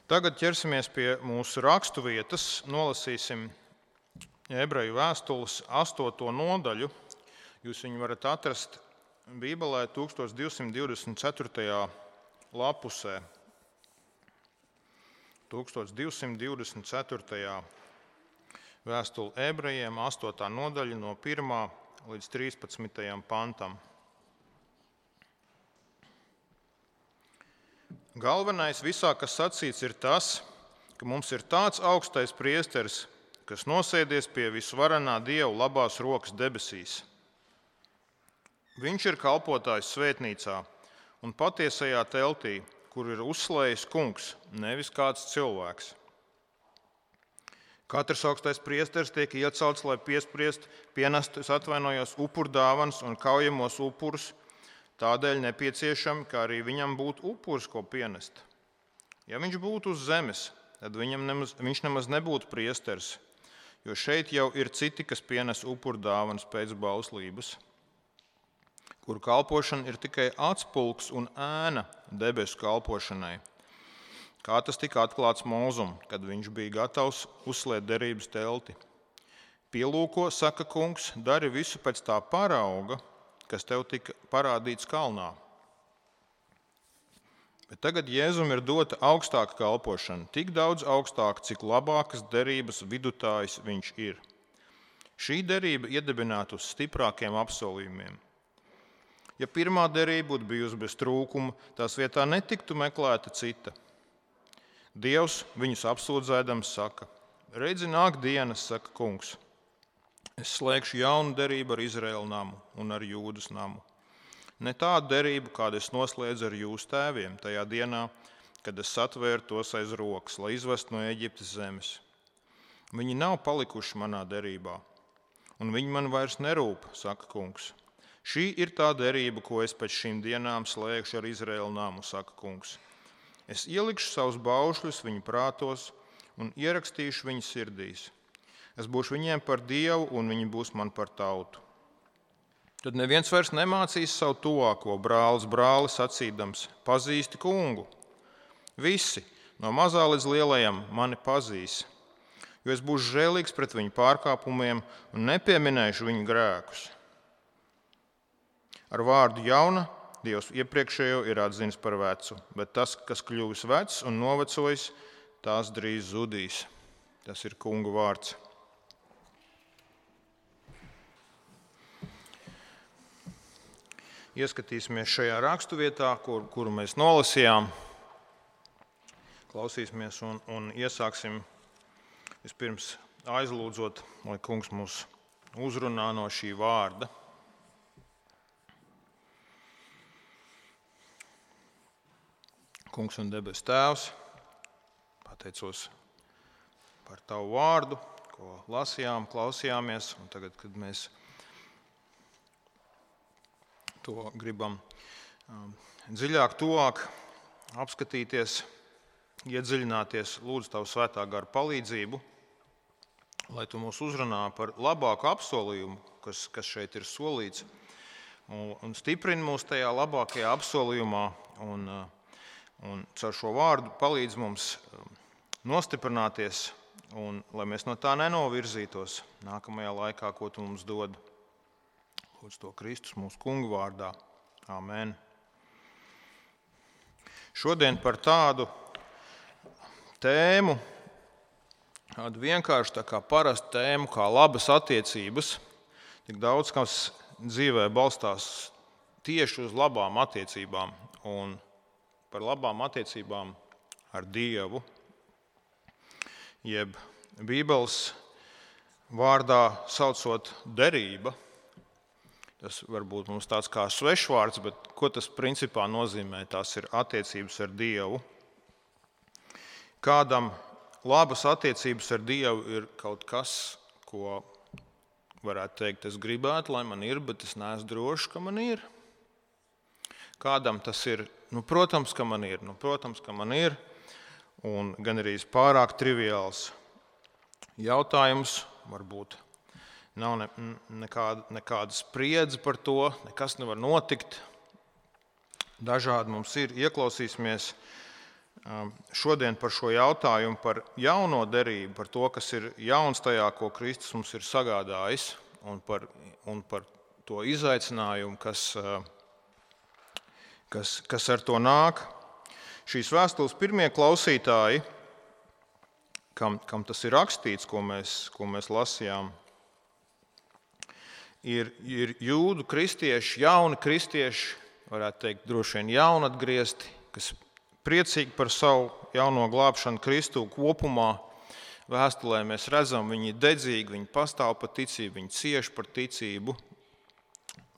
Tagad ķersimies pie mūsu rakstu vietas, nolasīsim Ebreju vēstules 8. nodaļu. Jūs viņu varat atrast Bībelē 1224. lapusē. 1224. vēstule Ebrejiem, 8. nodaļa no 1. līdz 13. pantam. Galvenais visā, kas sacīts, ir tas, ka mums ir tāds augstais priesteris, kas nosēdies pie visvarenā Dieva labās rokas debesīs. Viņš ir kalpotājs svētnīcā un patiesajā teltī, kur ir uzslējis kungs, nevis kāds cilvēks. Katrs augstais priesteris tiek iecelts, lai pienestu upurdāvanas un kaujamos upurus, tādēļ nepieciešami, ka arī viņam būtu upuris, ko pienest. Ja viņš būtu uz zemes, tad viņš nemaz nebūtu priesteris, jo šeit jau ir citi, kas pienes upurdāvanas pēc bauslības, kuru kalpošana ir tikai atspulgs un ēna debesu kalpošanai. Kā tas tika atklāts Mūzum, kad viņš bija gatavs uzslēt derības telti. Pielūko, saka kungs, dari visu pēc tā parauga, kas tev tika parādīts kalnā. Bet tagad Jēzum ir dota augstāka kalpošana, tik daudz augstāka, cik labākas derības vidutājs viņš ir. Šī derība iedibināta uz stiprākiem apsolījumiem. Ja pirmā derība būtu bijusi bez trūkuma, tās vietā netiktu meklēta cita. Dievs viņus apsūdzēdams saka: redzi, nāk dienas, saka kungs. Es slēgšu jaunu derību ar Izraēlu namu un ar Jūdas namu. Ne tādu derību, kādu es noslēdzu ar jūsu tēviem tajā dienā, kad es satvēru tos aiz rokas, lai izvestu no Eģiptes zemes. Viņi nav palikuši manā derībā, un viņi man vairs nerūp, saka kungs. Šī ir tā derība, ko es pēc šīm dienām slēgšu ar Izraēlu namu, saka kungs. Es ielikšu savus baušļus viņu prātos un ierakstīšu viņu sirdīs. Es būšu viņiem par Dievu, un viņi būs man par tautu. Tad neviens vairs nemācīs savu tuvāko brāli sacīdams: pazīsti kungu. Visi, no mazā līdz lielajam, mani pazīs, jo es būšu žēlīgs pret viņu pārkāpumiem un nepieminēšu viņu grēkus. Ar vārdu jauna Dievs iepriekšējo ir atzinis par vecu, bet tas, kas kļuvis vecs un novecojis, tās drīz zudīs. Tas ir kunga vārds. Ieskatīsimies šajā raksturvietā, kuru mēs nolasījām. Klausīsimies un iesāksim vispirms aizlūdzot, lai kungs mūs uzrunā no šī vārda. Kungs un debes Tēvs, pateicos par Tavu vārdu, ko lasījām, klausījāmies, un tagad, kad mēs to gribam dziļāk, tuvāk apskatīties, iedziļināties, lūdzu Tavu svētā gara palīdzību, lai Tu mūs uzrunā par labāku apsolījumu, kas šeit ir solīts, un stiprini mūs tajā labākajā apsolījumā, un caur šo vārdu palīdz mums nostiprināties, un lai mēs no tā nenovirzītos nākamajā laikā, ko Tu mums dod. Lūdzu to Kristus mūsu kunga vārdā. Āmen. Šodien par tādu tēmu, tādu vienkārši tā kā parastu tēmu, kā labas attiecības. Tik daudz, kas dzīvē balstās tieši uz labām attiecībām un par labām attiecībām ar Dievu, jeb Bībeles vārdā saucot derība. Tas varbūt mums tāds kā svešvārds, bet ko tas principā nozīmē? Tās ir attiecības ar Dievu. Kādam labas attiecības ar Dievu ir kaut kas, ko varētu teikt, es gribētu, lai man ir, bet es neesmu drošs, ka man ir. Kādam tas ir, protams, ka man ir, un gan arī pārāk triviāls jautājums, varbūt nav nekāda spriedze par to, nekas nevar notikt. Dažādi mums ir, ieklausīsimies šodien par šo jautājumu, par jauno derību, par to, kas ir jauns tajā, ko Kristus mums ir sagādājis, un par to izaicinājumu, kas ar to nāk. Šīs vēstules pirmie klausītāji, kam tas ir rakstīts, ko mēs lasījām, ir jūdu kristieši, jauni kristieši, varētu teikt, droši vien jaunatgriezti, kas priecīgi par savu jauno glābšanu Kristu kopumā. Vēstulē mēs redzam, viņi ir dedzīgi, viņi pastāv par ticību, viņi cieš par ticību,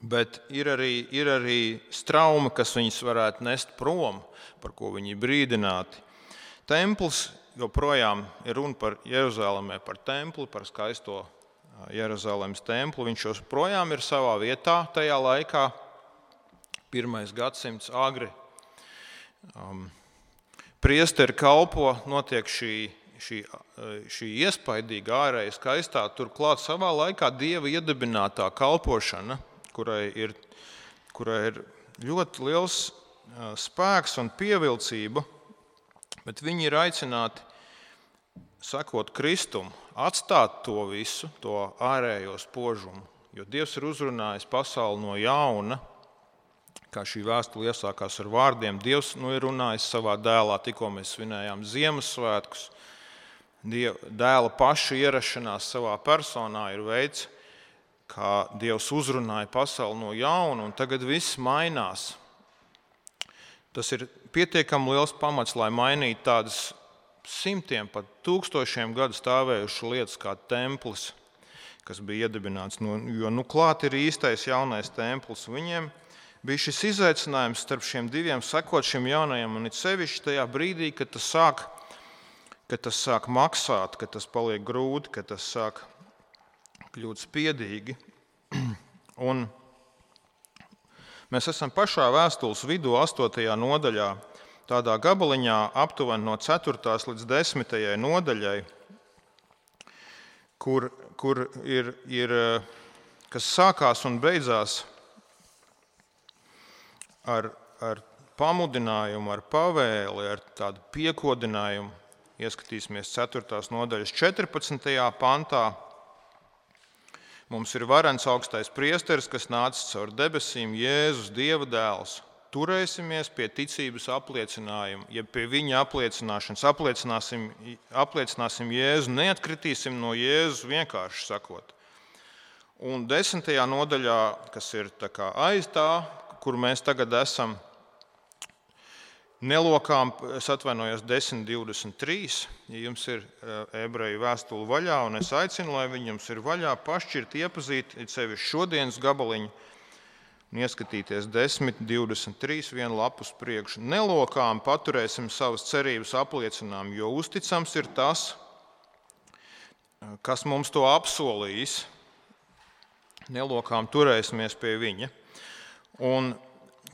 bet ir arī straumi, kas viņus varētu nest prom, par ko viņi ir brīdināti. Templis joprojām ir runa par Jeruzalemē, par templi, par skaisto Jeruzalemes templi. Viņš joprojām ir savā vietā tajā laikā, 1. gadsimts agri. Priesteri kalpo, notiek šī iespaidīga ārēja skaistā, turklāt savā laikā Dieva iedibinātā kalpošana, kurai ir ļoti liels spēks un pievilcība, bet viņi ir aicināti sekot Kristum, atstāt to visu, to ārējo spožumu, jo Dievs ir uzrunājis pasauli no jauna. Kā šī vēstule iesākās ar vārdiem, Dievs ir runājis savā dēlā, tikko mēs svinējām Ziemassvētkus. Dēla paša ierašanās savā personā ir veids, kā Dievs uzrunāja pasauli no jauna, un tagad viss mainās. Tas ir pietiekami liels pamats, lai mainītu tādas simtiem, pat tūkstošiem gadu stāvējušas lietas kā templis, kas bija iedibināts. Jo klāt ir īstais jaunais templis. Viņiem bija šis izaicinājums starp šiem diviem sekot šim jaunajam, un it sevišķi tajā brīdī, kad tas sāk maksāt, kad tas paliek grūti, kad tas sāk kļūt spiedīgi. Un mēs esam pašā vēstules vidū, 8. nodaļā, tādā gabaliņā aptuveni no 4. līdz 10. nodaļai, kur ir kas sākās un beidzās ar pamudinājumu, ar pavēli, ar tādu piekodinājumu. Ieskatīsimies 4. nodaļas 14. pantā. Mums ir varens augstais priesteris, kas nācis caur debesīm, Jēzus, Dieva dēls. Turēsimies pie ticības apliecinājuma, ja pie viņa apliecināšanas apliecināsim Jēzu, neatkritīsim no Jēzus, vienkārši sakot. Un 10. nodaļā, kas ir tā kā aiz tā, kur mēs tagad esam, nelokām, es atvainojos 10.23, ja jums ir ebreju vēstule vaļā, un es aicinu, lai viņi jums ir vaļā, pašķirt, iepazīt, it sevišķi šodienas gabaliņu, un ieskatīties 10.23, vienu lapu uz priekšu. Nelokām paturēsim savas cerības apliecinājumu, jo uzticams ir tas, kas mums to apsolījis. Nelokām turēsimies pie viņa. Un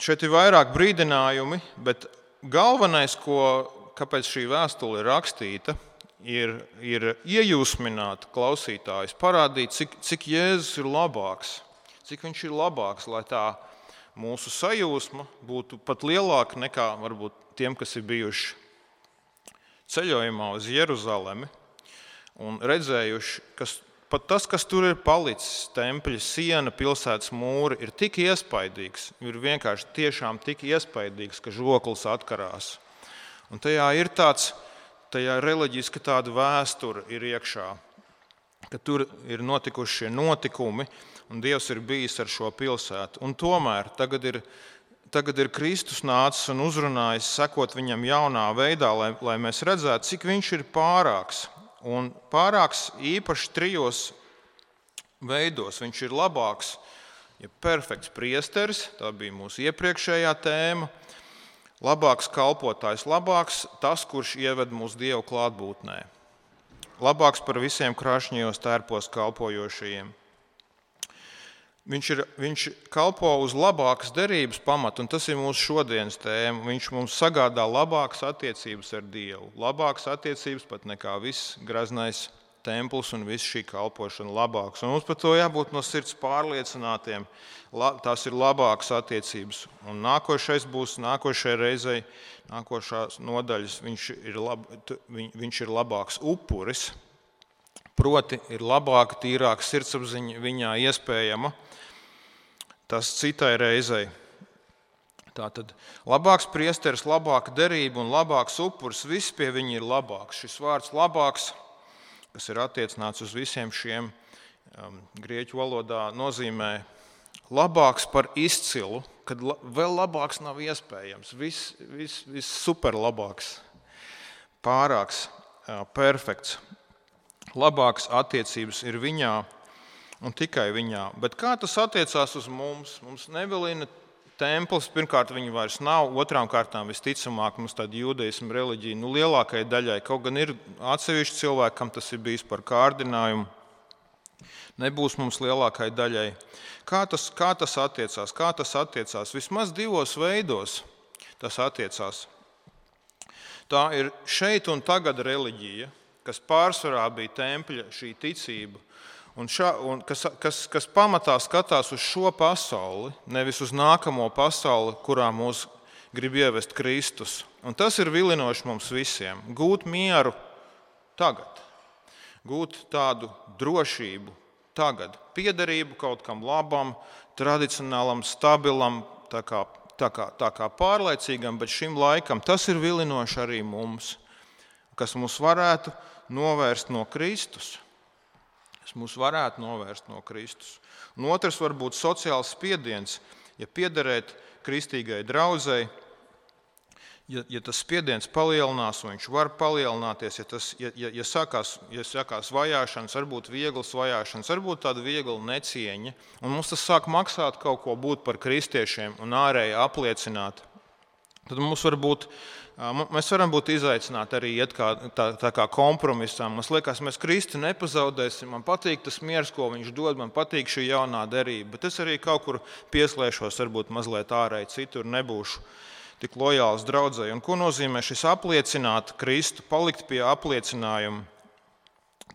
šeit ir vairāk brīdinājumi, bet galvenais, kāpēc šī vēstule ir rakstīta, ir iejūsmināt klausītājus, parādīt, cik Jēzus ir labāks, cik viņš ir labāks, lai tā mūsu sajūsma būtu pat lielāka nekā varbūt tiem, kas ir bijuši ceļojumā uz Jeruzalemi un redzējuši, pat tas, kas tur ir palicis, tempļa siena, pilsētas mūri, ir tik iespaidīgs, ir vienkārši tiešām tik iespaidīgs, ka žoklis atkarās. Un tajā reliģiska tāda vēsture ir iekšā, ka tur ir notikuši šie notikumi, un Dievs ir bijis ar šo pilsētu. Un tomēr tagad ir Kristus nācis un uzrunājis, sekot viņam jaunā veidā, lai mēs redzētu, cik viņš ir pārāks. Un pārāks īpaši 3 veidos. Viņš ir labāks, ja perfekts priesteris, tā bija mūsu iepriekšējā tēma, labāks kalpotājs, labāks tas, kurš ieved mūsu Dievu klātbūtnē, labāks par visiem krāšņajos tērpos kalpojošajiem. Viņš kalpo uz labākas derības pamatu, un tas ir mūsu šodienas tēma. Viņš mums sagādā labākas attiecības ar Dievu, labākas attiecības pat nekā viss graznais templis un viss šī kalpošana labāks. Un mums par to jābūt no sirds pārliecinātiem. Tās ir labākas attiecības. Un nākošajai reizei, nākošās nodaļas, viņš ir labāks upuris. Proti, ir labāka, tīrāka sirdsapziņa viņā iespējama. Tas citai reizei. Tātad labāks priesteris, labāka derība un labāks upuris, viss pie viņa ir labāks. Šis vārds labāks, kas ir attiecināts uz visiem šiem grieķu valodā, nozīmē labāks par izcilu, kad vēl labāks nav iespējams. Viss super labāks, pārāks, perfekts. Labāks attiecības ir viņā un tikai viņā. Bet kā tas attiecās uz mums? Mums nevilina templis, pirmkārt, viņi vairs nav, otrām kārtām visticamāk mums tāda jūdaisma reliģija, lielākajai daļai, kaut gan ir atsevišķi cilvēki, kam tas ir bijis par kārdinājumu, nebūs mums lielākajai daļai. Kā tas attiecās? Kā tas attiecās? Vismaz divos veidos tas attiecās. Tā ir šeit un tagad reliģija, kas pārsvarā bija tempļa šī ticība, un kas pamatā skatās uz šo pasauli, nevis uz nākamo pasauli, kurā mūs grib ievest Kristus. Un tas ir vilinoši mums visiem. Gūt mieru tagad, gūt tādu drošību tagad, piederību kaut kam labam, tradicionālam, stabilam, tā kā pārlaicīgam, bet šim laikam tas ir vilinoši arī mums, kas mūs varētu novērst no Kristus. Un otrs var būt sociāls spiediens, ja piederēt kristīgai draudzei, ja tas spiediens palielinās, un viņš var palielināties, ja sākās vajāšanas, varbūt vieglas vajāšanas, varbūt tāda viegla necieņa, un mums tas sāk maksāt kaut ko būt par kristiešiem un ārēji apliecināt, tad mēs varam būt izaicināti arī iet tā kā kompromisā. Mums liekas, mēs Kristu nepazaudēsim, man patīk tas miers, ko viņš dod, man patīk šī jaunā derība, bet es arī kaut kur pieslēšos, varbūt mazliet ārēji citur, nebūšu tik lojāls draudzei. Un ko nozīmē šis apliecināt Kristu, palikt pie apliecinājuma?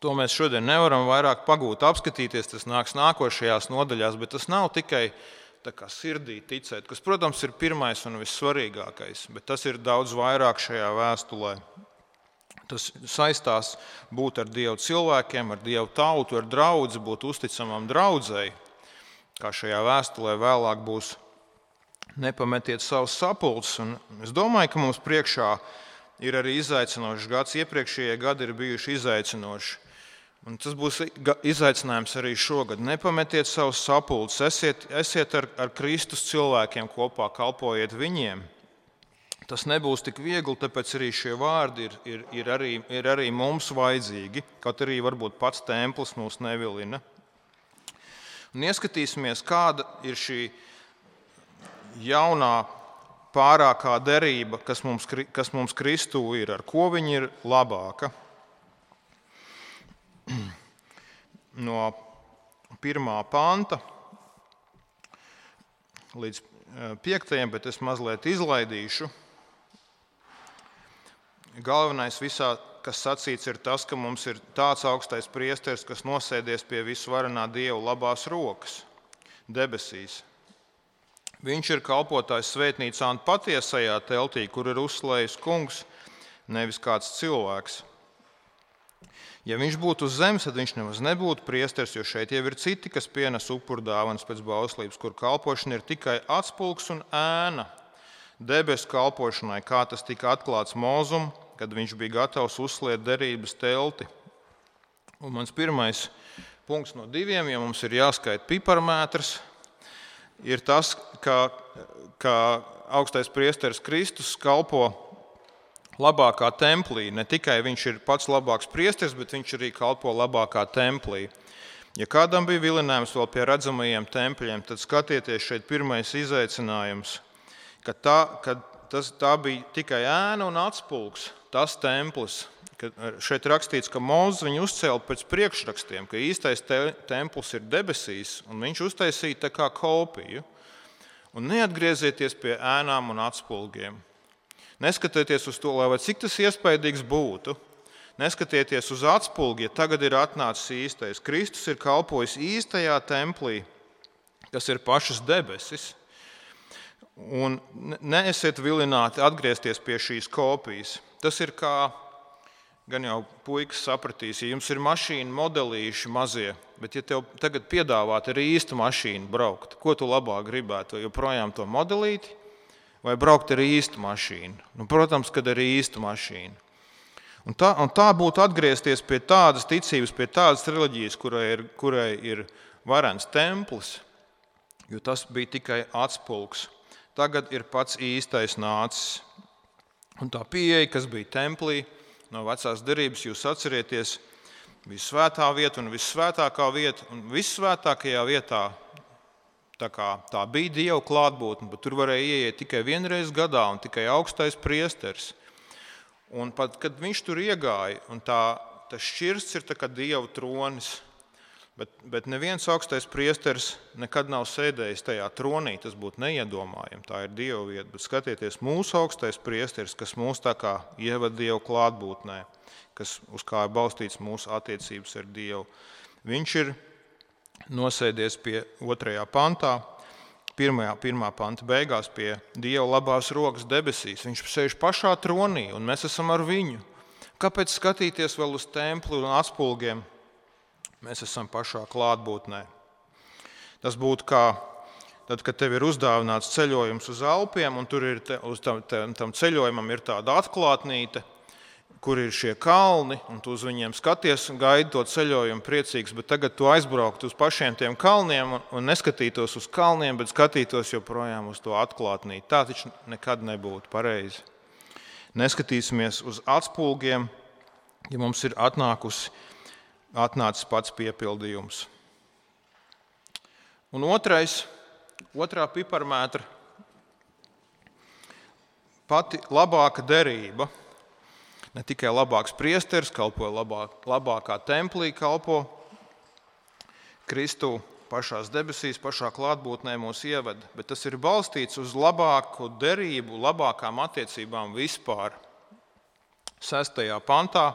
To mēs šodien nevaram vairāk pagūt, apskatīties, tas nāks nākošajās nodaļās, bet tas nav tikai tā kā sirdī ticēt, kas, protams, ir pirmais un vissvarīgākais, bet tas ir daudz vairāk šajā vēstulē. Tas saistās būt ar Dievu cilvēkiem, ar Dievu tautu, ar draudzi, būt uzticamam draudzei, kā šajā vēstulē vēlāk būs nepametiet savus sapulces. Un es domāju, ka mums priekšā ir arī izaicinošs gads. Iepriekšējie gadi ir bijuši izaicinoši. Un tas būs izaicinājums arī šogad. Nepametiet savus sapulces, esiet ar Kristus cilvēkiem kopā, kalpojiet viņiem. Tas nebūs tik viegli, tāpēc arī šie vārdi ir arī mums vajadzīgi, kaut arī varbūt pats templis mūs nevilina. Un ieskatīsimies, kāda ir šī jaunā pārākā derība, kas mums Kristū ir, ar ko viņa ir labāka. No 1. panta līdz 5. bet es mazliet izlaidīšu. Galvenais visā, kas sacīts, ir tas, ka mums ir tāds augstais priesteris, kas nosēdies pie visvarenā Dieva labās rokas, debesīs. Viņš ir kalpotājs svētnīcā un patiesajā teltī, kur ir uzslējis kungs, nevis kāds cilvēks. Ja viņš būtu uz zemes, tad viņš nemaz nebūtu priesteris, jo šeit jau ir citi, kas pienes upurdāvanas pēc bauslības, kur kalpošana ir tikai atspulgs un ēna debesu kalpošanai, kā tas tika atklāts Mozum, kad viņš bija gatavs uzsliet derības telti. Un mans pirmais punkts no 2, ja mums ir jāskaita piparmētrs, ir tas, ka augstais priesteris Kristus kalpo labākā templī. Ne tikai viņš ir pats labāks priesteris, bet viņš arī kalpo labākā templī. Ja kādam bija vilinājums vēl pie redzamajiem tempļiem, tad skatieties šeit pirmais izaicinājums, ka tā bija tikai ēna un atspulgs, tas templis. Šeit rakstīts, ka Mozus viņu uzcēla pēc priekšrakstiem, ka īstais templis ir debesīs, un viņš uztaisīja tā kā kopiju. Un neatgriezieties pie ēnām un atspulgiem. Neskatieties uz to, lai cik tas iespaidīgs būtu. Neskatieties uz atspulgi, ja tagad ir atnācis īstais. Kristus ir kalpojis īstajā templī, kas ir pašas debesis. Un neesiet vilināti atgriezties pie šīs kopijas. Tas ir kā, gan jau puikas sapratīs, ja jums ir mašīna modelīši mazie, bet ja tev tagad piedāvāt ar īstu mašīnu braukt, ko tu labāk gribētu? Joprojām to modelīti vai braukt ar īstu mašīnu? Nu, protams, kad ar īstu mašīnu. Un tā būtu atgriezties pie tādas ticības, pie tādas reliģijas, kurai ir varens templis, jo tas bija tikai atspulgs. Tagad ir pats īstais nācis. Un tā pieeja, kas bija templī, no vecās derības, jūs atcerieties, bija svētā vieta un vissvētākā vieta. Un vissvētākajā vietā tā bija Dieva klātbūtne, bet tur varēja ieiet tikai vienreiz gadā un tikai augstais priesteris. Un pat, kad viņš tur iegāja, un tas šķirsts ir tā kā Dieva tronis, bet neviens augstais priesteris nekad nav sēdējis tajā tronī, tas būtu neiedomājami, tā ir Dieva vieta. Bet skatieties, mūsu augstais priesteris, kas mūs tā kā ievada Dieva klātbūtnē, uz kā ir balstīts mūsu attiecības ar Dievu. Viņš ir nosēdies pie 2. pantā, 1. panta beigās pie Dieva labās rokas debesīs. Viņš sēž pašā tronī, un mēs esam ar viņu. Kāpēc skatīties vēl uz templi un atspulgiem? Mēs esam pašā klātbūtnē. Tas būtu kā tad, kad tev ir uzdāvināts ceļojums uz Alpiem, un tur ir uz tam ceļojumam ir tāda atklātnīte, kur ir šie kalni, un tu uz viņiem skaties un gaidi to ceļojumu priecīgs, bet tagad tu aizbrauktu uz pašiem tiem kalniem un neskatītos uz kalniem, bet skatītos joprojām uz to atklātnīti. Tā taču nekad nebūtu pareizi. Neskatīsimies uz atspulgiem, ja mums ir atnācis pats piepildījums. Un otrā piparmētra, pati labāka derība, ne tikai labāks priesteris kalpo, labākā templī kalpo, Kristu pašās debesīs, pašā klātbūtnē mūs ieved, bet tas ir balstīts uz labāku derību, labākām attiecībām vispār. 6. pantā.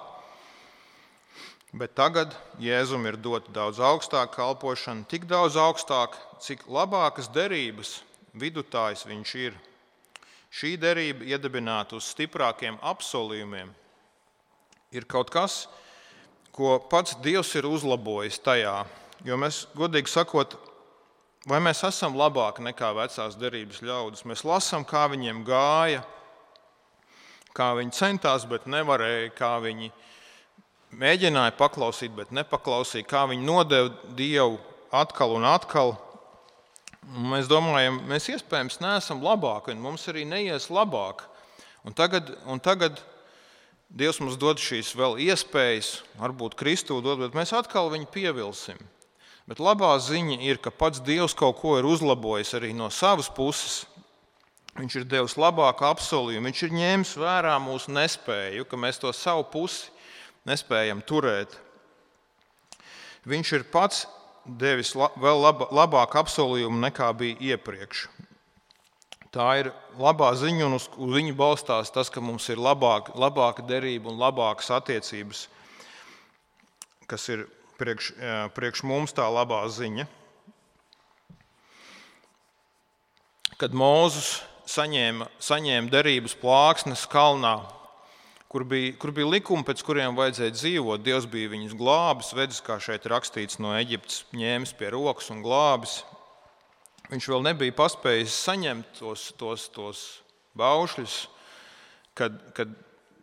Bet tagad Jēzum ir dota daudz augstāka kalpošana, tik daudz augstāk, cik labākas derības vidutājs viņš ir. Šī derība iedibināta uz stiprākiem apsolījumiem ir kaut kas, ko pats Dievs ir uzlabojis tajā. Jo mēs, godīgi sakot, vai mēs esam labāki nekā vecās derības ļaudis? Mēs lasām, kā viņiem gāja, kā viņi centās, bet nevarēja, kā viņi mēģināja paklausīt, bet nepaklausīja, kā viņi nodeva Dievu atkal un atkal. Un mēs domājam, mēs iespējams neesam labāki, un mums arī neies labāk. Un tagad Dievs mums dod šīs vēl iespējas, varbūt Kristu dod, bet mēs atkal viņu pievilsim. Bet labā ziņa ir, ka pats Dievs kaut ko ir uzlabojis arī no savas puses. Viņš ir devis labāku apsolījumu, viņš ir ņēmis vērā mūsu nespēju, ka mēs to savu pusi nespējam turēt. Viņš ir pats devis vēl labāku apsolījumu nekā bija iepriekš. Tā ir labā ziņa, un uz viņu balstās tas, ka mums ir labāka derība un labākas attiecības, kas ir priekš mums tā labā ziņa. Kad Mūzes saņēma derības plāksnes kalnā, kur bija likumi, pēc kuriem vajadzēja dzīvot, Dievs bija viņus glābis, vedis, kā šeit rakstīts, no Eģiptes ņēmis pie rokas un glābis. Viņš vēl nebija paspējis saņemt tos baušļus, kad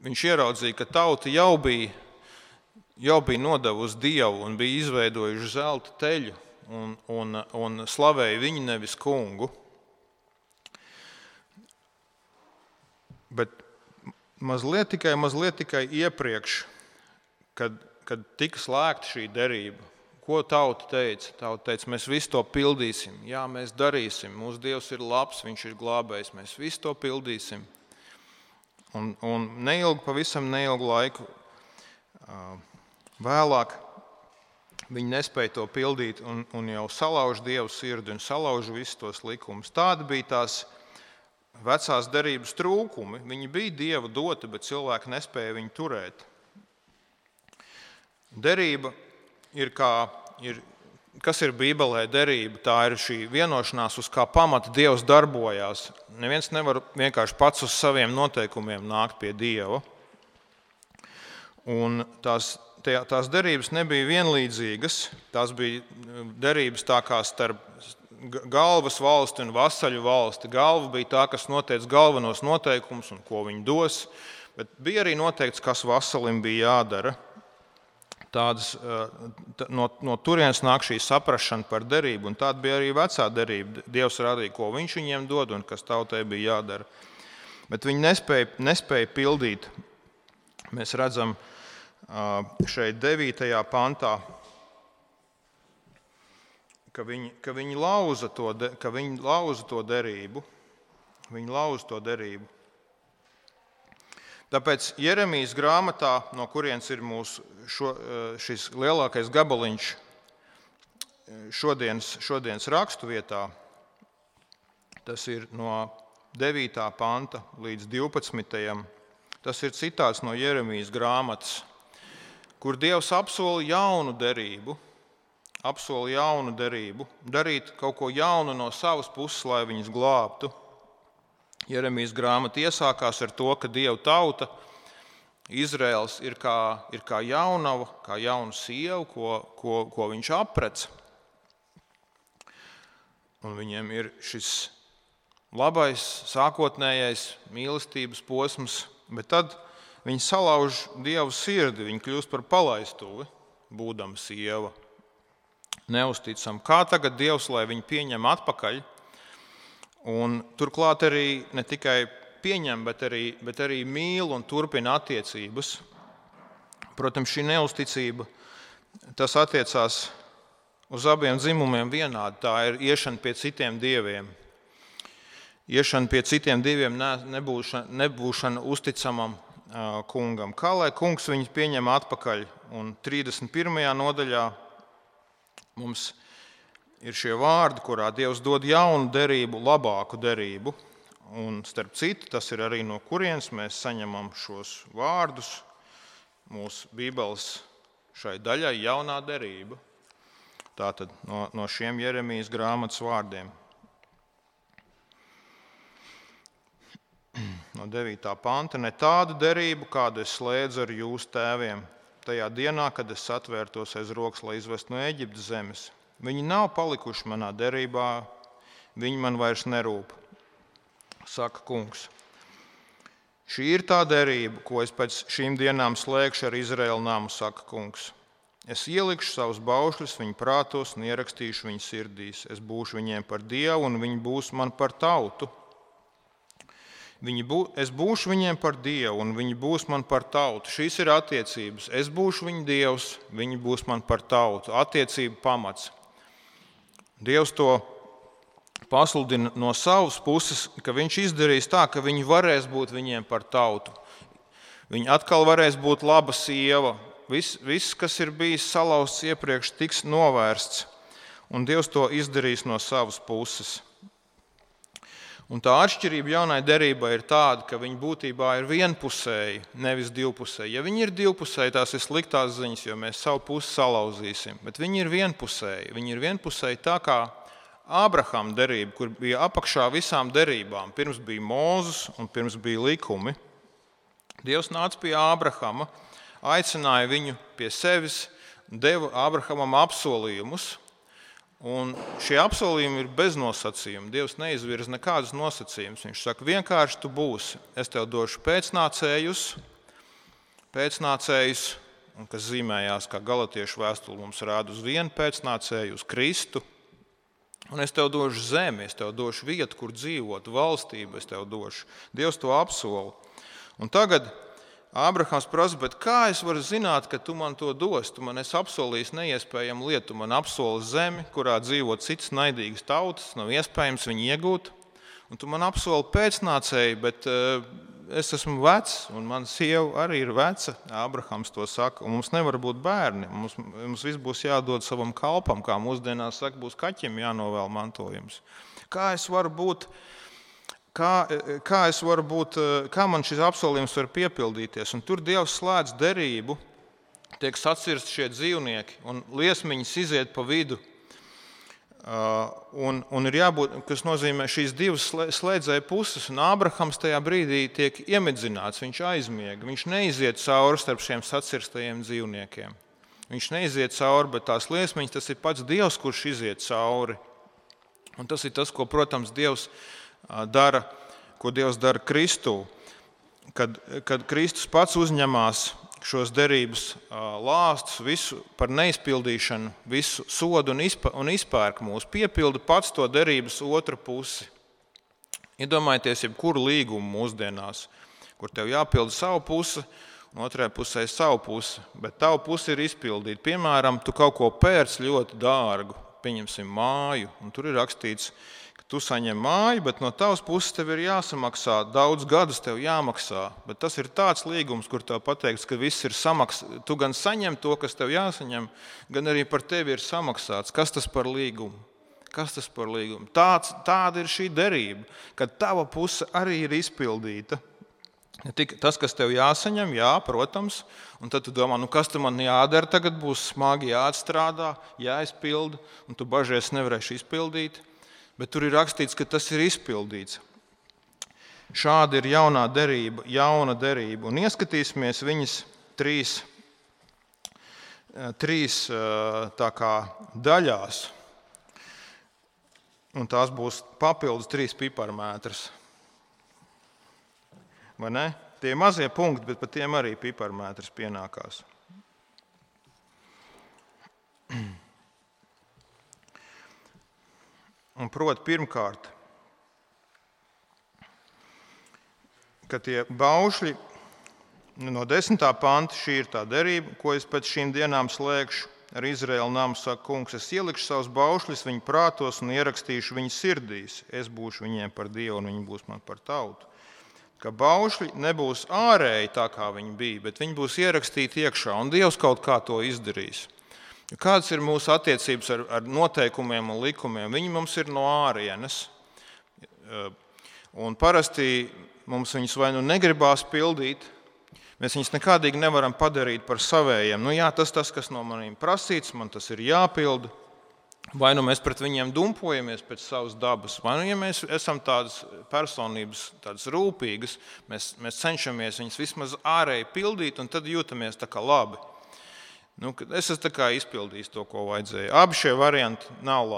viņš ieraudzīja, ka tauta jau bija nodevusi Dievu un bija izveidojuši zelta teļu un slavēja viņu nevis kungu. Bet mazliet tikai iepriekš, kad tika slēgta šī derība, ko tauta teica? Tauta teica, mēs visu to pildīsim, jā, mēs darīsim, mūsu Dievs ir labs, viņš ir glābējs, mēs visu to pildīsim. Un pavisam neilgu laiku vēlāk viņi nespēja to pildīt un jau salauž Dievu sirdi un salauž visus tos likumus. Tāda bija tās vecās derības trūkumi. Viņi bija Dieva doti, bet cilvēki nespēja viņu turēt. Derība kas ir Bībelē derība? Tā ir šī vienošanās, uz kā pamata Dievs darbojās. Neviens nevar vienkārši pats uz saviem noteikumiem nākt pie Dieva. Un tās derības nebija vienlīdzīgas. Tās bija derības tā kā starp galvas valsti un vasaļu valsti. Galva bija tā, kas noteica galvenos noteikumus un ko viņi dos, bet bija arī noteikts, kas vasalim bija jādara. No turienes nāk šī saprašana par derību, un tāda bija arī vecā derība. Dievs rādīja, ko viņš viņiem dod un kas tautai bija jādara. Bet viņi nespēja pildīt. Mēs redzam šeit 9. pantā, ka viņi lauza to derību. Viņi lauza to derību. Tāpēc Jeremijas grāmatā, no kurienes ir šis lielākais gabaliņš šodienas rakstu vietā, tas ir no 9. panta līdz 12. Tas ir citāts no Jeremijas grāmatas, kur Dievs apsola jaunu derību, darīt kaut ko jaunu no savas puses, lai viņus glābtu. Jeremijas grāmata iesākās ar to, ka Dieva tauta, Izraels, ir kā jaunava, kā jauna sieva, ko viņš aprec. Un viņiem ir šis labais, sākotnējais mīlestības posms, bet tad viņi salauž Dievu sirdi, viņi kļūst par palaistuvi, būdama sieva. Neusticam, kā tagad Dievs, lai viņu pieņem atpakaļ, un turklāt arī ne tikai pieņem, bet arī mīl un turpina attiecības. Protams, šī neusticība, tas attiecās uz abiem dzimumiem vienādi. Tā ir iešana pie citiem dieviem. Iešana pie citiem dieviem, nebūšana uzticamam kungam. Kā lai kungs viņus pieņem atpakaļ? Un 31. nodaļā mums ir šie vārdi, kurā Dievs dod jaunu derību, labāku derību. Un starp citu, tas ir arī no kurienes mēs saņemam šos vārdus. Mūsu Bībeles šai daļai jaunā derība. Tātad no šiem Jeremijas grāmatas vārdiem. No 9. panta. Ne tādu derību, kādu es slēdzu ar jūsu tēviem, tajā dienā, kad es atvērtos aiz rokas, lai izvestu no Eģiptes zemes. Viņi nav palikuši manā derībā, viņi man vairs nerūp, saka kungs. Šī ir tā derība, ko es pēc šīm dienām slēgšu ar Izraēlu namu, saka kungs. Es ielikšu savus baušļus viņu prātos un ierakstīšu viņu sirdīs. Es būšu viņiem par Dievu un viņi būs man par tautu. Es būšu viņiem par Dievu un viņi būs man par tautu. Šīs ir attiecības. Es būšu viņu Dievs, viņi būs man par tautu. Attiecību pamats. Dievs to pasludina no savas puses, ka viņš izdarīs tā, ka viņi varēs būt viņiem par tautu. Viņi atkal varēs būt laba sieva. Viss, kas ir bijis salauzts iepriekš, tiks novērsts. Un Dievs to izdarīs no savas puses. Un tā atšķirība jaunai derībai ir tāda, ka viņi būtībā ir vienpusēji, nevis divpusēji. Ja viņi ir divpusēji, tās ir sliktās ziņas, jo mēs savu pusi salauzīsim. Bet viņi ir vienpusēji. Viņi ir vienpusēji tā kā Ābrahama derība, kur bija apakšā visām derībām. Pirms bija Mūzes un pirms bija likumi. Dievs nāca pie Ābrahama, aicināja viņu pie sevis, deva Ābrahamam apsolījumus. Un šie apsolījumi ir bez nosacījuma. Dievs neizvirza nekādus nosacījumus. Viņš saka, vienkārši tu būsi. Es tev došu pēcnācējus, un kas zīmējās, kā Galatiešu vēstule mums rāda uz vienu pēcnācēju, uz Kristu. Un es tev došu zemi, es tev došu vietu, kur dzīvot, valstību es tev došu. Dievs to apsola. Un tagad Ābrahams prasa, bet kā es varu zināt, ka tu man to dos? Tu man esi apsolījis neiespējamu lietu. Tu man apsoli zemi, kurā dzīvo citas naidīgas tautas, nav iespējams viņu iegūt. Un tu man apsoli pēcnācēju, bet es esmu vecs, un mana sieva arī ir veca. Ābrahams to saka, un mums nevar būt bērni. Mums viss būs jādod savam kalpam, kā mūsdienās saka, būs kaķim jānovēl mantojums. Kā man šis apsolījums var piepildīties? Un tur Dievs slēdz derību, tiek sacirsti šie dzīvnieki, un liesmiņas iziet pa vidu. Un ir jābūt, kas nozīmē šīs divas slēdzēja puses, un Ābrahams tajā brīdī tiek iemidzināts, viņš aizmiega, viņš neiziet cauri starp šiem sacirstajiem dzīvniekiem. Viņš neiziet cauri, bet tās liesmiņas, tas ir pats Dievs, kurš iziet cauri. Un tas ir tas, ko, protams, Dievs dara Kristū. Kad Kristus pats uzņemās šos derības lāstus, visu par neizpildīšanu, visu sodu un izpērk mūs, piepilda pats to derības otru pusi. Iedomājieties, jebkuru līgumu mūsdienās, kur tev jāpilda savu pusi, un otrajā pusē savu pusi, bet tavu pusi ir izpildīta. Piemēram, tu kaut ko pērc ļoti dārgu, pieņemsim māju, un tur ir rakstīts, ka tu saņem māju, bet no tavas puses tev ir jāsamaksā, daudz gadus tev jāmaksā, bet tas ir tāds līgums, kur tev pateikts, ka viss ir samaksāts. Tu gan saņem to, kas tev jāsaņem, gan arī par tevi ir samaksāts. Kas tas par līgumu? Tāda ir šī derība, kad tava puse arī ir izpildīta. Ne tik tas, kas tev jāsaņem, jā, protams, un tad tu domā, kas tu man jādara, tagad būs smagi jāatstrādā, jāizpilda, un tu bažies nevarēsi izpildīt, bet tur ir rakstīts, ka tas ir izpildīts. Šāda ir jauna derība, un ieskatīsimies viņas trīs tā kā daļās, un tās būs papildus 3 piparmētras. Vai ne? Tie mazie punkti, bet par tiem arī piparmētras pienākās. Un proti, pirmkārt, ka tie baušļi no 10. panta, šī ir tā derība, ko es pēc šīm dienām slēgšu ar Izraēlu namu, saka kungs, es ielikšu savus baušļus viņu prātos un ierakstīšu viņu sirdīs. Es būšu viņiem par Dievu un viņi būs man par tautu. Ka baušļi nebūs ārēji tā, kā viņi bija, bet viņi būs ierakstīti iekšā, un Dievs kaut kā to izdarīs. Kādas ir mūsu attiecības ar noteikumiem un likumiem? Viņi mums ir no ārienes, un parasti mums viņus vai nu negribās pildīt, mēs viņus nekādīgi nevaram padarīt par savējiem. Jā, tas, kas no maniem prasīts, man tas ir jāpilda. Vai nu mēs pret viņiem dumpojamies pēc savas dabas, vai nu, ja mēs esam tādas personības, tādas rūpīgas, mēs cenšamies viņus vismaz ārēji pildīt, un tad jūtamies tā kā labi. Es esmu tā kā izpildījis to, ko vajadzēja. Abi šie varianti nav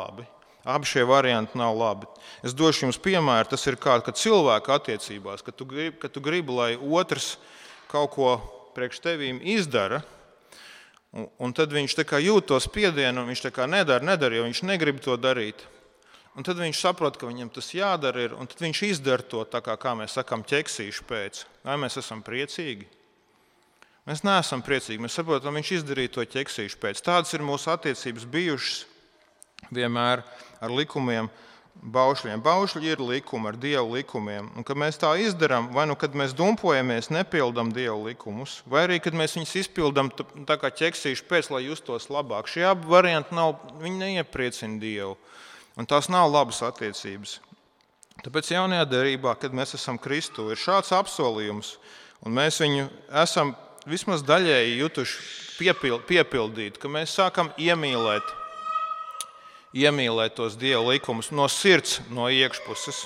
labi. Es došu jums piemēru, tas ir kā cilvēka attiecībās, kad tu gribi, lai otrs kaut ko priekš tevīm izdara, un tad viņš tā kā jūt to spiedienu, un viņš tā kā nedara, jo viņš negrib to darīt. Un tad viņš saprot, ka viņam tas jādara ir, un tad viņš izdara to tā kā mēs sakām, ķeksīšu pēc. Vai mēs esam priecīgi? Mēs neesam priecīgi, mēs saprotam, viņš izdarīja to ķeksīšu pēc. Tādas ir mūsu attiecības bijušas vienmēr ar likumiem. Baušļiem. Baušļi ir likumi ar Dievu likumiem. Un, kad mēs tā izdarām, vai nu kad mēs dumpojamies, nepildam Dievu likumus, vai arī, kad mēs viņus izpildam tā kā ķeksīši pēc, lai justos labāk. Šie abi varianti viņi neiepriecina Dievu. Un tās nav labas attiecības. Tāpēc jaunajā derībā, kad mēs esam Kristū, ir šāds apsolījums, un mēs viņu esam vismaz daļēji jutuši piepildīt, ka mēs sākam iemīlēt tos Dieva likumus no sirds, no iekšpuses.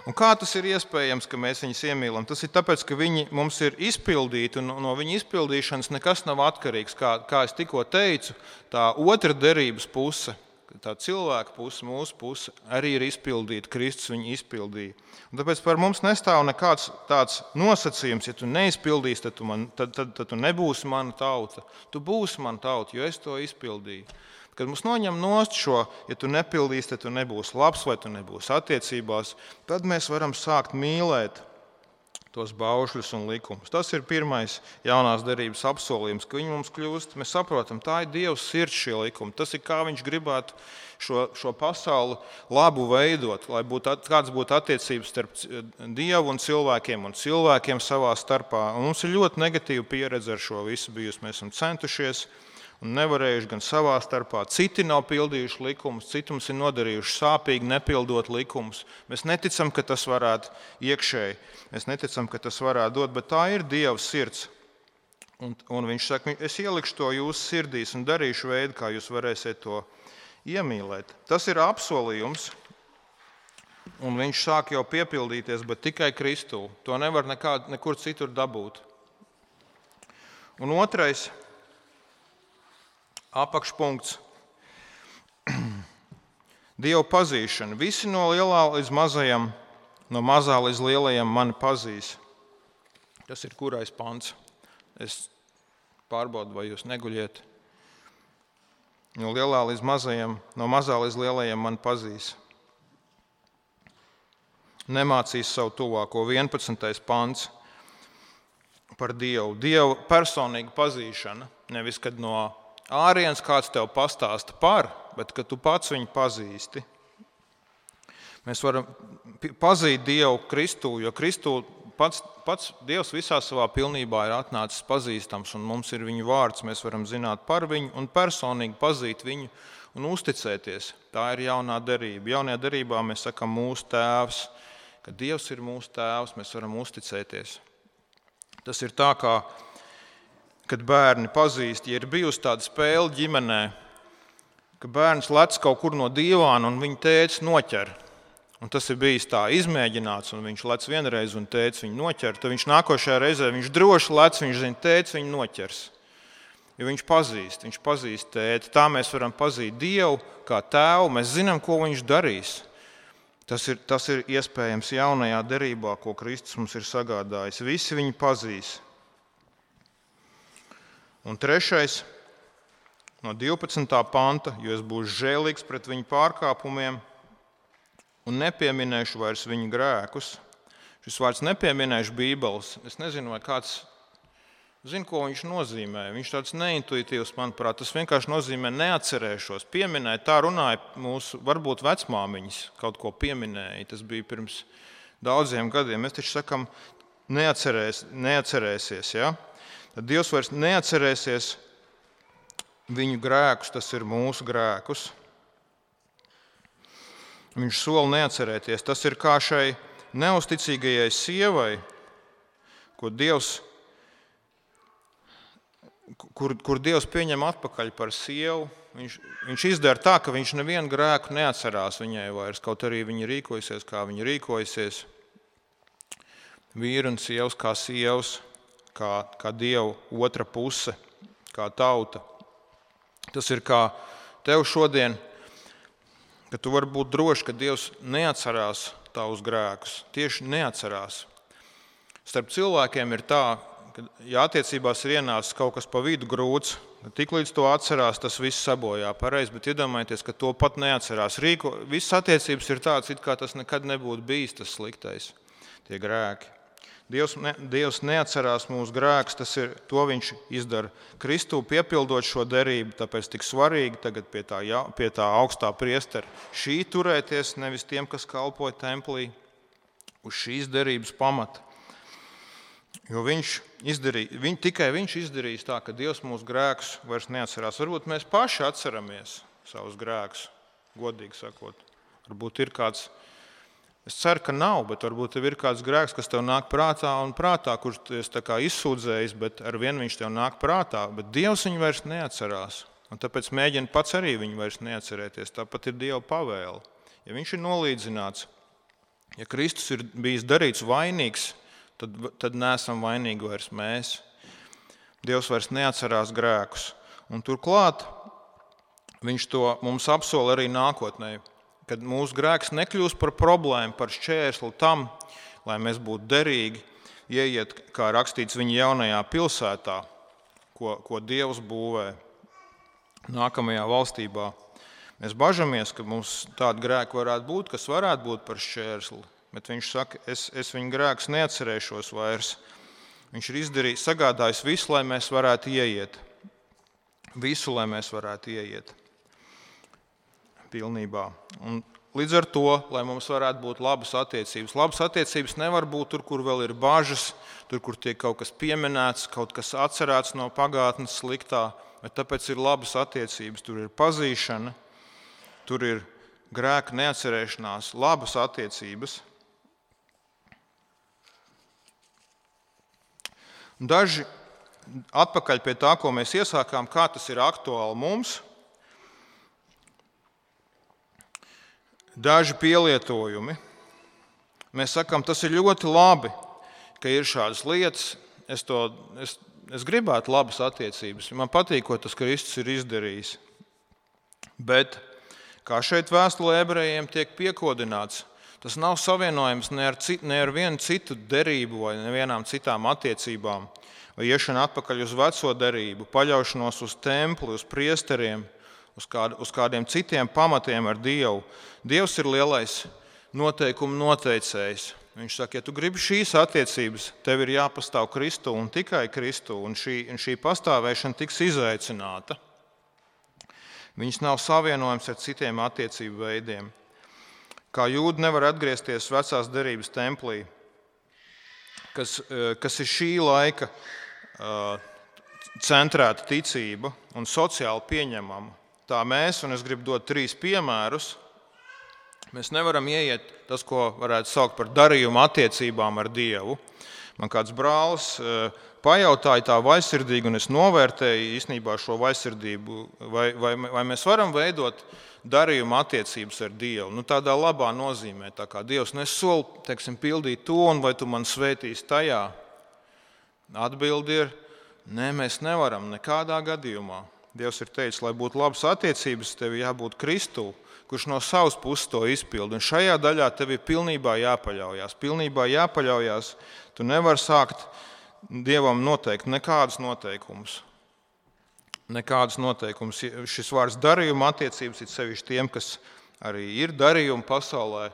Un kā tas ir iespējams, ka mēs viņus iemīlam? Tas ir tāpēc, ka viņi mums ir izpildīti, un no viņa izpildīšanas nekas nav atkarīgs. Kā es tikko teicu, tā otra derības puse, tā cilvēka puse, mūsu puse, arī ir izpildīta. Kristus viņu izpildīja. Un tāpēc par mums nestāv nekāds tāds nosacījums, ja tu neizpildīsi, tad tu nebūsi mana tauta. Tu būsi mana tauta, jo es to izpildīju. Kad mums noņem nost šo, ja tu nepildīsi, tad tu nebūsi labs vai tu nebūsi attiecībās, tad mēs varam sākt mīlēt tos baušļus un likumus. Tas ir pirmais jaunās derības apsolījums, ka viņi mums kļūst, mēs saprotam, tā ir Dieva sirds šie likumi. Tas ir kā viņš gribētu šo pasauli labu veidot, lai kāds būtu attiecības starp Dievu un cilvēkiem savā starpā. Un mums ir ļoti negatīva pieredze ar šo visu bijusi. Mēs esam centušies un nevarējuši gan savā starpā. Citi nav pildījuši likumus, citi mums ir nodarījuši sāpīgi, nepildot likumus. Mēs neticam, ka tas varētu iekšēji, mēs neticam, ka tas varētu dot, bet tā ir Dieva sirds. Un viņš saka, es ielikšu to jūsu sirdīs un darīšu veidu, kā jūs varēsiet to iemīlēt. Tas ir apsolījums, un viņš sāk jau piepildīties, bet tikai Kristū. To nevar nekur citur dabūt. Un otrais apakšpunkts – Dieva pazīšana. Visi no lielā līdz mazajam, no mazā līdz lielajam mani pazīs. Tas ir kurais pants? Es pārbaudu, vai jūs neguļiet. No lielā līdz mazajam, no mazā līdz lielajam mani pazīs. Nemācīs savu tuvāko. 11. pants par Dievu. Dieva personīga pazīšana. Nevis, kad no ārienes kāds tev pastāsta par, bet kad tu pats viņu pazīsti. Mēs varam pazīt Dievu Kristū, jo Kristū pats Dievs visā savā pilnībā ir atnācis pazīstams, un mums ir viņa vārds, mēs varam zināt par viņu un personīgi pazīt viņu un uzticēties. Tā ir jaunā derība. Jaunajā derībā mēs sakam mūsu tēvs, ka Dievs ir mūsu tēvs, mēs varam uzticēties. Tas ir tā, kā, kad bērni pazīst, ja ir bijusi tāda spēle ģimenē, ka bērns lec kaut kur no divāna un viņa tēvs noķer. Un tas ir bijis tā izmēģināts, un viņš lec vienreiz un tēvs viņu noķer. Tad viņš nākošajā reizē viņš droši lec, viņš zina, tēvs viņu noķers. Jo viņš pazīst tēti. Tā mēs varam pazīt Dievu kā tēvu, mēs zinām, ko viņš darīs. Tas ir iespējams jaunajā derībā, ko Kristus mums ir sagādājis. Visi viņu pazīs. Un trešais, no 12. panta, jo es būšu žēlīgs pret viņu pārkāpumiem, un nepieminēšu vairs viņu grēkus. Šis vārds nepieminēšu Bībeles. Es nezinu, vai kāds zina, ko viņš nozīmē. Viņš tāds neintuitīvs, manuprāt. Tas vienkārši nozīmē neatcerēšos. Pieminēt, tā runāja mūsu, varbūt vecmāmiņas kaut ko pieminēja. Tas bija pirms daudziem gadiem. Mēs taču sakam, neatcerēsies. Ja? Tad Dievs vairs neatcerēsies viņu grēkus, tas ir mūsu grēkus. Viņš sola neatcerēties. Tas ir kā šai neusticīgajai sievai, kur Dievs pieņem atpakaļ par sievu. Viņš izdara tā, ka viņš nevienu grēku neatcerās viņai vairs, kaut arī viņa rīkojasies, kā viņa rīkojasies. Vīri un sievas kā sievas, kā Dieva otra puse, kā tauta. Tas ir kā tev šodien, ka tu vari būt droši, ka Dievs neatcerās tavus grēkus. Tieši neatcerās. Starp cilvēkiem ir tā, ka ja attiecībās ir ienācis kaut kas pa vidu grūts, tik līdz to atcerās, tas viss sabojā pareizi, bet iedomājieties, ka to pat neatcerās. Visas attiecības ir tāds, it kā tas nekad nebūtu bijis tas sliktais, tie grēki. Dievs neatcerās mūsu grēkus, to viņš izdara Kristū, piepildot šo derību, tāpēc tik svarīgi tagad pie tā augstā priestera šī turēties, nevis tiem, kas kalpoja templī, uz šīs derības pamata. Jo tikai viņš izdarīs tā, ka Dievs mūsu grēkus vairs neatcerās. Varbūt mēs paši atceramies savus grēkus, godīgi sakot. Varbūt ir kāds. Es ceru, ka nav, bet varbūt tev ir kāds grēks, kas tev nāk prātā, kurš tu esi izsūdzējis, bet ar vienu viņš tev nāk prātā, bet Dievs viņu vairs neatcerās. Un tāpēc mēģina pats arī viņu vairs neatcerēties. Tāpat ir Dieva pavēle. Ja viņš ir nolīdzināts, ja Kristus ir bijis darīts vainīgs, tad neesam vainīgi vairs mēs. Dievs vairs neatcerās grēkus. Un turklāt viņš to mums apsola arī nākotnē. Kad mūsu grēks nekļūs par problēmu, par šķērsli tam, lai mēs būtu derīgi, ieiet, kā rakstīts viņa jaunajā pilsētā, ko Dievs būvē nākamajā valstībā. Mēs bažamies, ka mums tāda grēka varētu būt, kas varētu būt par šķērsli, bet viņš saka, es viņu grēkus neatcerēšos vairs. Viņš ir sagādājis visu, lai mēs varētu ieiet. Visu, lai mēs varētu ieiet. Pilnībā. Un līdz ar to, lai mums varētu būt labas attiecības. Labas attiecības nevar būt tur, kur vēl ir bažas, tur, kur tiek kaut kas pieminēts, kaut kas atcerēts no pagātnes sliktā, bet tāpēc ir labas attiecības. Tur ir pazīšana, tur ir grēka neatcerēšanās, labas attiecības. Daži atpakaļ pie tā, ko mēs iesākām, kā tas ir aktuāli mums. Daži pielietojumi. Mēs sakām, tas ir ļoti labi, ka ir šādas lietas. Es gribētu labas attiecības. Man patīk, ko tas Kristus ir izdarījis. Bet, kā šeit vēstulē ebrejiem tiek piekodināts, tas nav savienojams ne ar vienu citu derību vai nevienām citām attiecībām, vai iešana atpakaļ uz veco derību, paļaušanos uz templi, uz priesteriem, uz kādiem citiem pamatiem ar Dievu. Dievs ir lielais noteikumu noteicējs. Viņš saka, ja tu gribi šīs attiecības, tev ir jāpastāv Kristu un tikai Kristu, un šī pastāvēšana tiks izaicināta. Viņas nav savienojams ar citiem attiecību veidiem. Kā jūdi nevar atgriezties vecās derības templī, kas ir šī laika centrēta ticība un sociāli pieņemama. Tā mēs, un es gribu dot 3 piemērus, mēs nevaram ieiet tas, ko varētu saukt par darījumu attiecībām ar Dievu. Man kāds brālis pajautāja tā vaļsirdīgi, un es novērtēju īstenībā šo vaļsirdību, vai mēs varam veidot darījumu attiecības ar Dievu. Tādā labā nozīmē, tā kā Dievs nesoli, pildīt to, un vai tu man svētīsi tajā? Atbildi ir, nē, mēs nevaram nekādā gadījumā. Dievs ir teicis, lai būtu labas attiecības, tev jābūt Kristū, kurš no savas puses to izpilda. Un šajā daļā tev ir pilnībā jāpaļaujas. Tu nevari sākt Dievam noteikt nekādus noteikumus. Šis vārds darījuma attiecības ir sevišķi tiem, kas arī ir darījumi pasaulē.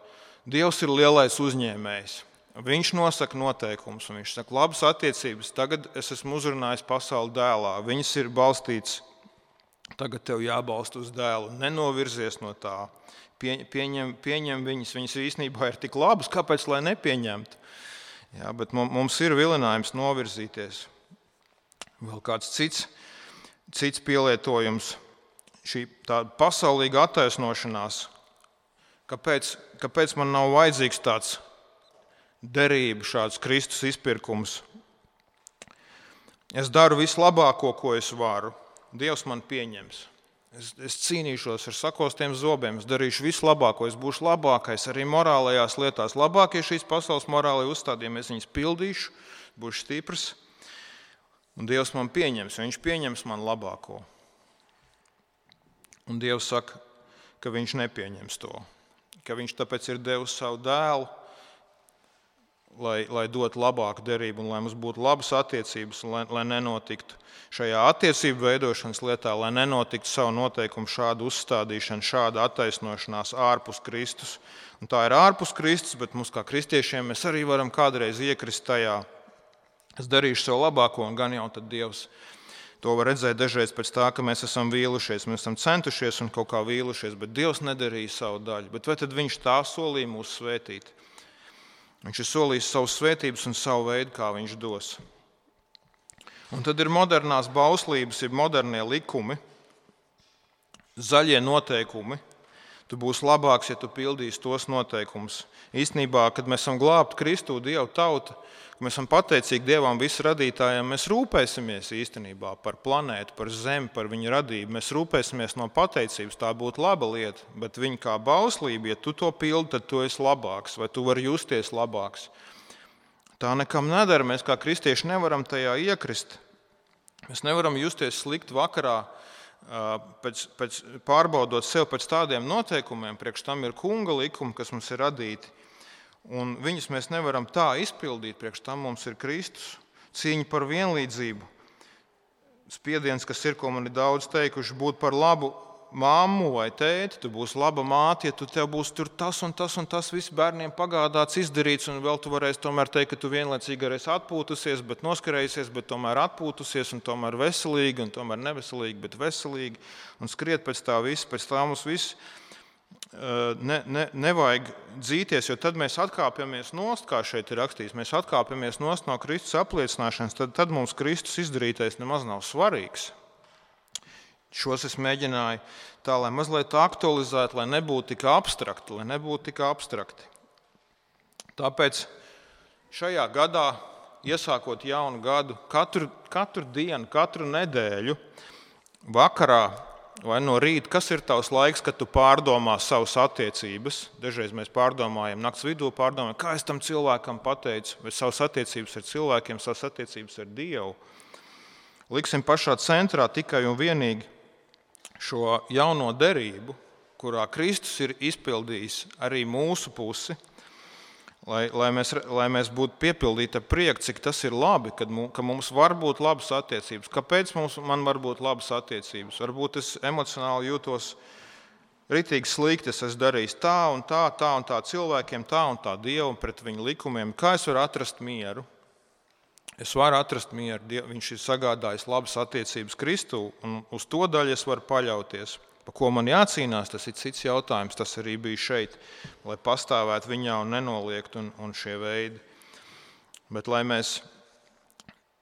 Dievs ir lielais uzņēmējs. Viņš nosaka noteikumus, un viņš saka, labas attiecības, tagad es esmu uzrunājis pasauli dēlā. Viņas ir balstītas. Tagad tev jābalsta uz dēlu, nenovirzies no tā, pieņem viņas īstenībā ir tik labas, kāpēc lai nepieņemtu? Jā, bet mums ir vilinājums novirzīties. Vēl kāds cits pielietojums, šī tāda pasaulīga attaisnošanās, kāpēc man nav vajadzīgs tāds derība, šāds Kristus izpirkums. Es daru vislabāko, ko es varu. Dievs man pieņems. Es cīnīšos ar sakostiem zobiem, es darīšu visu labāko, es būšu labākais arī morālajās lietās. Labākie šīs pasaules morālajie uzstādījumi, es viņus pildīšu, būšu stiprs, un Dievs man pieņems, viņš pieņems man labāko. Un Dievs saka, ka viņš nepieņems to, ka viņš tāpēc ir devis savu dēlu, lai dotu labāku derību un lai mums būtu labas attiecības, lai nenotiktu šajā attiecību veidošanas lietā, lai nenotiktu savu noteikumu šādu uzstādīšanu, šāda attaisnošanās ārpus Kristus. Un tā ir ārpus Kristus, bet mums kā kristiešiem mēs arī varam kādreiz iekrist tajā. Es darīšu savu labāko, un gan jau tad Dievs to var redzēt dažreiz pēc tā, ka mēs esam vīlušies, mēs esam centušies un kaut kā vīlušies, bet Dievs nedarīja savu daļu. Bet vai tad viņš tā solīja mūs svētīt? Viņš ir solījis savus svētības un savu veidu, kā viņš dos. Un tad ir modernās bauslības, ir modernie likumi, zaļie noteikumi. Tu būsi labāks, ja tu pildīsi tos noteikumus. Īstenībā, kad mēs esam glābti Kristu, Dieva tauta, kad mēs esam pateicīgi Dievam visu radītājiem, mēs rūpēsimies īstenībā par planētu, par zemi, par viņu radību. Mēs rūpēsimies no pateicības, tā būtu laba lieta, bet viņa kā bauslība, ja tu to pildi, tad tu esi labāks, vai tu vari justies labāks. Tā nekam nedara, mēs kā kristieši nevaram tajā iekrist. Mēs nevaram justies slikti vakarā, pēc pārbaudot sev pēc tādiem noteikumiem, priekš tam ir kunga likumi, kas mums ir radīti, un viņus mēs nevaram tā izpildīt, priekš tam mums ir Kristus, cīņa par vienlīdzību, spiediens, kas ir, ko man ir daudz teikuši, būt par labu mammu vai tēti, tu būsi laba māte, ja tev būs tur tas un tas viss bērniem pagādāts, izdarīts, un vēl tu varēsi tomēr teikt, ka tu vienlaicīgi arī esi atpūtusies, bet noskarējusies, bet tomēr atpūtusies, un tomēr veselīgi, un tomēr neveselīgi, bet veselīgi, un skriet pēc tā viss, pēc tā mums viss nevajag dzīties, jo tad mēs atkāpjamies nost, kā šeit ir rakstīts, mēs atkāpjamies nost no Kristus apliecināšanas, tad mums Kristus izdarītais nemaz nav svarīgs. Šos es mēģināju tā, lai mazliet aktualizētu, lai nebūtu tik abstrakti. Tāpēc šajā gadā iesākot jaunu gadu, katru dienu, katru nedēļu, vakarā vai no rīta, kas ir tavs laiks, kad tu pārdomā savas attiecības? Dažreiz mēs pārdomājam, nakts vidū pārdomājam, kā es tam cilvēkam pateicu, vai savas attiecības ar cilvēkiem, savas attiecības ar Dievu. Liksim pašā centrā tikai un vienīgi šo jauno derību, kurā Kristus ir izpildījis arī mūsu pusi, lai mēs būtu piepildīti ar prieku, cik tas ir labi, ka mums var būt labas attiecības. Kāpēc man var būt labas attiecības? Varbūt es emocionāli jūtos ritīgi slikti, es esmu darījis tā un tā cilvēkiem, tā un tā Dievu un pret viņu likumiem. Kā es varu atrast mieru? Es varu atrast mieru. Viņš ir sagādājis labas attiecības Kristū, un uz to daļu es varu paļauties. Pa ko man jācīnās, tas ir cits jautājums. Tas arī bija šeit, lai pastāvētu viņā un nenoliegt un šie veidi. Bet lai mēs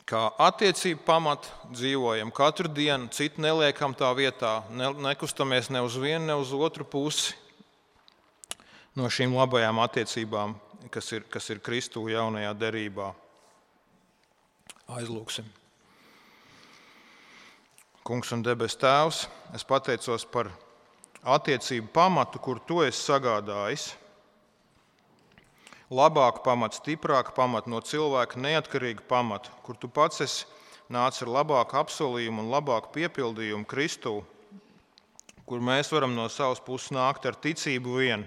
kā attiecību pamatu dzīvojam katru dienu, citu neliekam tā vietā, nekustamies ne uz vienu, ne uz otru pusi no šīm labajām attiecībām, kas ir Kristū jaunajā derībā. Aizlūksim. Kungs un debes Tēvs, es pateicos par attiecību pamatu, kur Tu esi sagādājis. Labāku pamatu, stiprāku pamatu, no cilvēka neatkarīgu pamatu, kur Tu pats esi nācis ar labāku apsolījumu un labāku piepildījumu Kristū, kur mēs varam no savas puses nākt ar ticību vien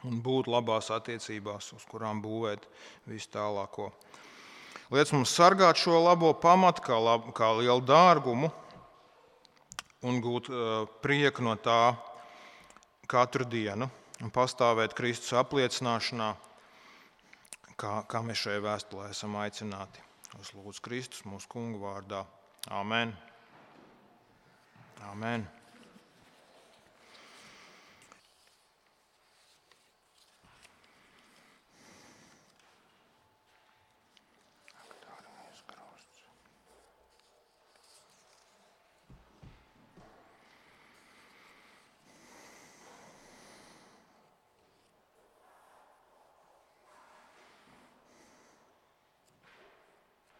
un būt labās attiecībās, uz kurām būvēt visu tālāko. Liec mums sargāt šo labo pamatu kā lielu dārgumu un gūt prieku no tā katru dienu un pastāvēt Kristus apliecināšanā, kā mēs šajā vēstulē esam aicināti. Es lūdzu Kristus mūsu kungu vārdā. Amen. Amen.